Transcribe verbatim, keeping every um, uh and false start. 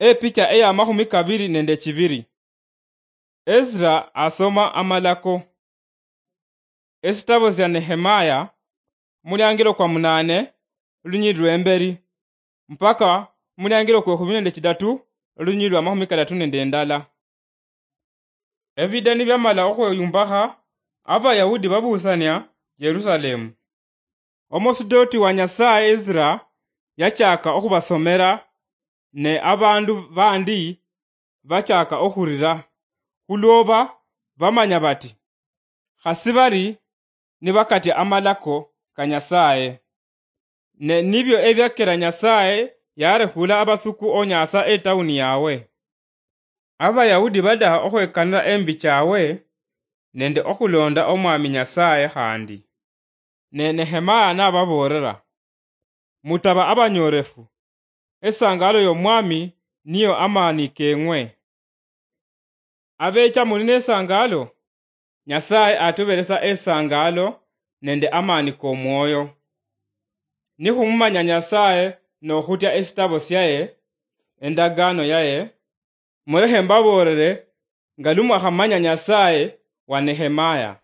Epicha eya makhumi kabiri nende chibiri. Ezra asoma amalako. Esitabo sya Nehemaya, muliangilo kwa munane, lunyiri lwemberi, mpaka muliangilo kwe khumi nende chidatu, lunyiri lwa makhumi kadatu nende ndala. Ebida nibyamala okhweyumbakha, Abayahudi babusania Yerusalemu. Omusidoti wa Nyasaye Ezra yachaka okhubasomera, ne abandu bandi bachaka okhurira, khulwoba bamanya bati, khasi bari nibakatia amalako ka Nyasaye. Ne nibyo ebyakera Nyasaye yarekhula abasuku onyasa etauni yawe. Abayahudi badaha okhwekanira embi chawe nende okhulonda Omwami Nyasaye khandi. Ne Nehemaya nababoolera, "Mutaba abanyorefu, esangalo y'Omwami niyo amani keng'we." Abecha muli nesangalo, Nyasaye atuberesa esangalo nende amani komwoyo. Nikhumumanya Nyasaye nokhutya esitabo syaye, endagano yaye, mulekhe mbaboolere nga lumwakhamanya Nyasaye wa Nehemaya.